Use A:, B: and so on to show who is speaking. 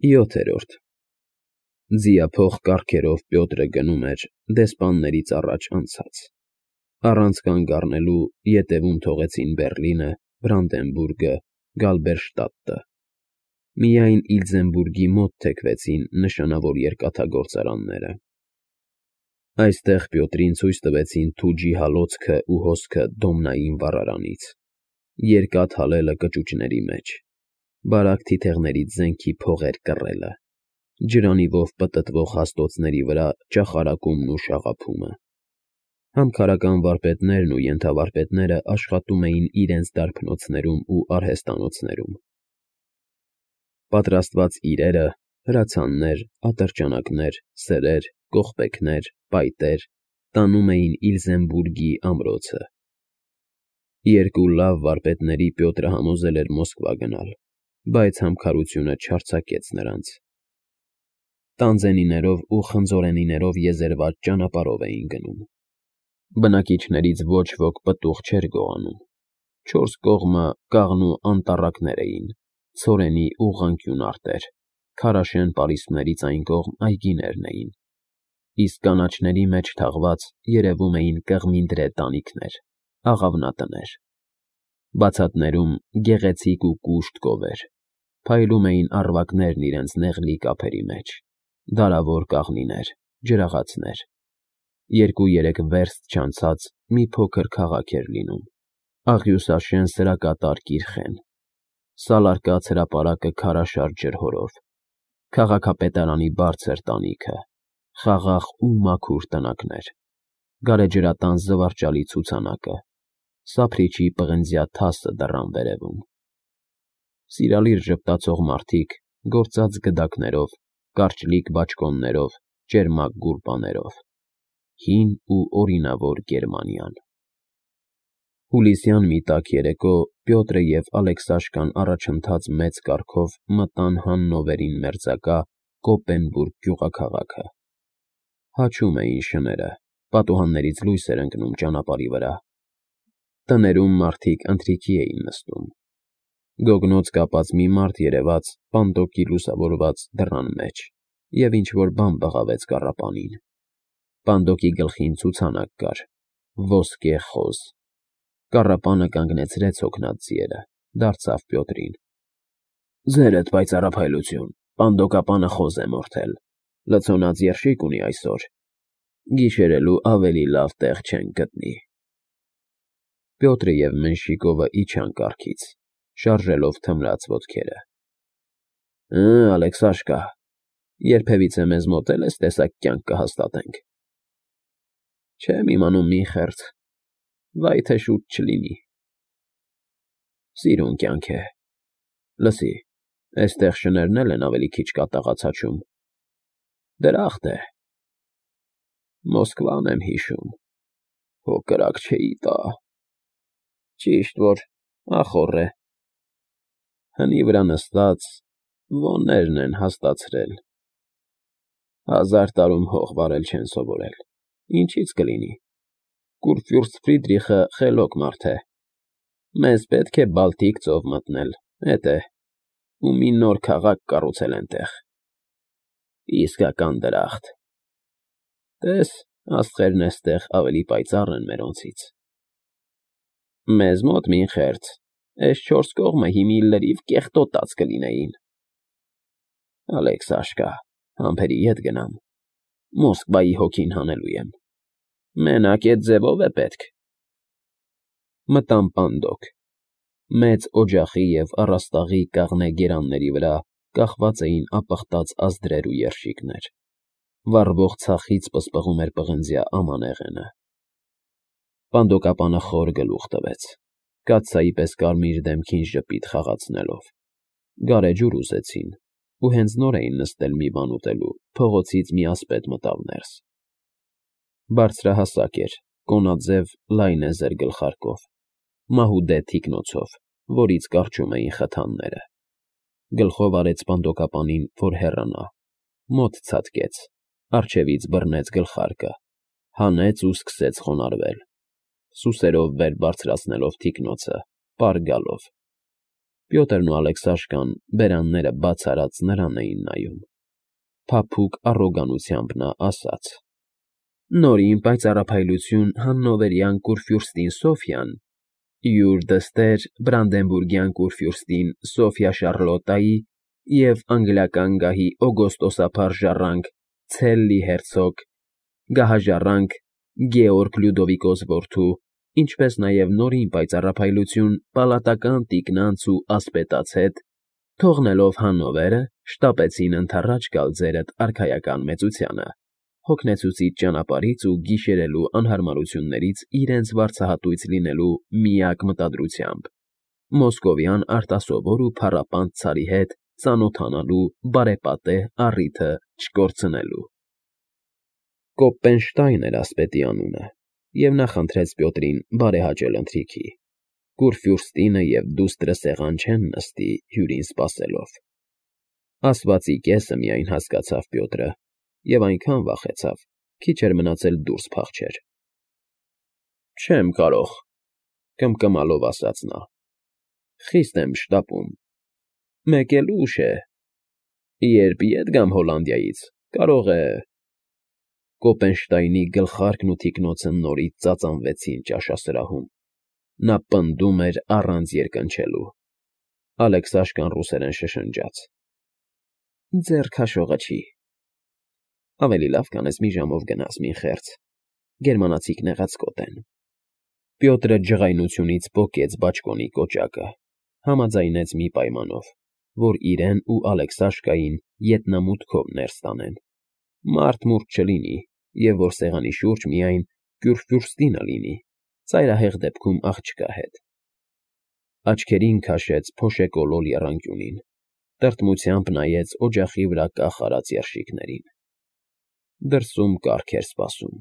A: 7-րդ Ձիափող կառքերով Պյոտրը գնում էր դեսպաններից առաջ անցած, առանց կանգ առնելու ետևում թողեցին Բեռլինը, Բրանդենբուրգը, Գալբերշտադտը, միայն Իլձենբուրգի մոտ թեքվեցին նշանավոր երկաթգործարանները։ Այստեղ Պյոտրին ցույց տվեցին Թուջի հալոցքը ու հոսքը Դոմնային վառարանից, երկաթ հալելը կճուճների մեջ, բարակ թիթեղներից զենքի փողեր կռելը, ջրանիվով պտտվող հաստոցների վրա ճախարակումն ու շաղափումը։ Համքարական վարպետներն ու ենթավարպետները աշխատում էին իրենց դարբնոցներում ու արհեստանոցներում։ Պատրաստված իրերը, հրացաններ, ատրճանակներ, սրեր, կողպեքներ, պայտեր տանում էին Իլզենբուրգի ամրոցը։ Երկու լավ վարպետների Պյոտրը համոզել էր Մոսկվա գնալ, բայց համքարությունը չարձակեց նրանց։ Տանձենիներով ու խնձորենիներով եզերված ճանապարհով էին գնում։ Բնակիչներից ոչ ոք պտուղ չէր գողանում։ 4 կողմը կաղնու անտառակներ էին, ցորենի ուղղանկյուն արտեր, քարաշեն պարիսպներից այն կողմ այգիներն էին, իսկ կանաչների մեջ թաղված երևում էին կղմինդրե տանիքներ, աղավնատներ։ Բացատներում գեղեցիկ ու կուշտ կովեր, փայլում էին առվակներն իրենց նեղլիկ ափերի մեջ, դարավոր կաղնիներ, ջրաղացներ։ 2-3 վերստ չանցած մի փոքր քաղաք էր լինում, աղյուսաշեն սրակատար կիրխեն, սալարկած հրապարակը քարաշար ջրհորով, քաղաքապետարանի բարձր տանիքը, խաղաղ ու մաքուր տնակներ, գարեջրատան զվարճալի ցուցանակը, սափրիչի պղնձյա թասը դռան վերևում։ Սիրալիր ժպտացող մարդիկ գործած գդակներով, կարճլիկ բաճկոններով, ճերմակ գուրբաներով, հին ու օրինավոր Գերմանիան։ Հուլիսյան մի տաք երեկո Պյոտրը և Ալեքսաշկան առաջընթաց մեծ կառքով մտան Հաննովերին մերձակա Կոպենբուրգ գյուղաքաղաքը։ Հաչում էին շները, պատուհաններից լույս էր ընկնում ճանապարհի վրա։ Տներում մարդիկ ընթրիքի էին նստում։ Գոգնոց կապած մի մարդ երևաց պանդոկի լուսավորված դռան մեջ և ինչ-որ բան բղավեց կառապանին։ Պանդոկի գլխին ցուցանակ կար՝ ոսկե խոզ։ Կառապանը կանգնեցրեց հոգնած ձիերը, դարձավ Պյոտրին. Ձերդ պայծառափայլություն, պանդոկապանը խոզ է մորթել, լցոնած երշիկ ունի այսօր, գիշերելու ավելի լավ տեղ չենք գտնի։ Պյոտրը և Մենշիկովը իջան կառքից, շարժելով թմրած ոտքերը։ Ալեքսաշկա, երբևիցե մեզ մոտ էլ ես տեսակ կյանք կհաստատենք։ Չեմ իմանում մի խերձ, վայ թե շուտ չլինի։ Սիրուն կյանք է։ Լսի, էստեղ շներն էլ են ավելի քիչ կատաղած հաչում։ Դրախտ է։ Մոսկվան եմ հիշում, հո կրակ չէի տա։ Ճիշտ որ ախոռ է։ Հնի վրա նստած ոներն են հաստացրել։ 1000 տարում հող վարել չեն սովորել, ինչից կլինի։ Կուրֆյուրստ Ֆրիդրիխը խելոք մարդ է։ Մեզ պետք է Բալտիկ ծով մտնել, էդ է, ու մի նոր քաղաք կառուցել էնտեղ։ Իսկական դրախտ։ Տես, աստղերն էստեղ ավելի պայծառ են մերոնցից։ Մեզ մոտ մի խերձ, էս 4 կողմը հիմի լրիվ կեղտոտած կլինեին։ Ալեքսաշկա, համբերի ետ գնամ, Մոսկվայի հոգին հանելու եմ։ Մենակ էդ ձևով է պետք։ Մտան պանդոկ։ Մեծ օջախի և առաստաղի կաղնե գերանների վրա կախված էին ապխտած ազդրեր ու երշիկներ։ Վառվող ցախից պսպղում էր պղնձյա ամանեղենը։ Պանդոկապանը խոր գլուխ տվեց, կաթսայի պես կարմիր դեմքին ժպիտ խաղացնելով։ Գարեջուր ուզեցին, ու հենց նոր էին նստել մի բան ուտելու, փողոցից մի ասպետ մտավ ներս։ Բարձրահասակ էր, կոնաձև լայնեզր գլխարկով, մահուդե թիկնոցով, որից կառչում էին խթանները։ Գլխով արեց պանդոկապանին, որ հեռանա, մոտ ցատկեց, առջևից բռնեց գլխարկը, հանեց ու սկսեց խոնարհվել, սուսերով վեր բարձրացնելով թիկնոցը, պառ գալով։ Պյոտրն ու Ալեքսաշկան բերանները բաց արած նրան էին նայում։ Փափուկ առոգանությամբ նա ասաց. «Նորին պայծառափայլություն Հաննովերյան կուրֆյուրստին Սոֆյան, յուր դստեր Բրանդենբուրգյան կուրֆյուրստին Սոֆյա Շարլոտայի և անգլիական գահի օգոստոսափառ ժառանգ Ցելլի հերցոգ, գահաժառանգ Գեորգ Լյուդովիկոս որդու, ինչպես նաև նորին պայծառափայլություն պալատական տիկնանց ու ասպետաց հետ, թողնելով Հաննովերը, շտապեցին ընդառաջ գալ ձերդ արքայական մեծությանը, հոգնեցուցիչ ճանապարհից ու գիշերելու անհարմարություններից իրենց վարձահատույց լինելու միակ մտադրությամբ, մոսկովյան արտասովոր ու փառապանտ ցարի հետ ծանոթանալու բարեպատեհ առիթը չկորցնելու»։ Կոպպենշտայն էր ասպետի անունը, և նա խնդրեց Պյոտրին բարեհաճել ընթրիքի։ Կուրֆյուրստինը և դուստրը սեղան չեն նստի հյուրին սպասելով։ Ասվածի կեսը միայն հասկացավ Պյոտրը և այնքան վախեցավ, քիչ էր մնացել դուրս փախչեր։ «Չեմ կարող,֊ կմկմալով ասաց նա,֊ խիստ եմ շտապում։ Մեկ էլ ուշ է. երբ ետ գամ Հոլանդիայից, կարող է…» Կոպենշտայնի գլխարկն ու թիկնոցը նորից ծածանվեցին ճաշասրահում։ Նա պնդում էր առանց երկնչելու։ Ալեքսաշկան ռուսերեն շշնջաց. «Ձեռ քաշողը չի… Ավելի լավ կանես մի ժամով գնաս, մինխերց, գերմանացիք նեղացկոտ են»։ Պյոտրը ջղայնությունից պոկեց բաճկոնի կոճակը, համաձայնեց մի պայմանով, որ իրեն ու Ալեքսաշկային ետնամուտքով ներս տանեն, մարդ չլինի և որ սեղանի շուրջ միայն Կյուրֆյուրստինը լինի, ծայրահեղ դեպքում աղջկա հետ։ Աչքերին քաշեց փոշեկոլոր եռանկյունին, տրտմությամբ նայեց օջախի վրա կախ արած երշիկներին։ Դրսում կառք էր սպասում։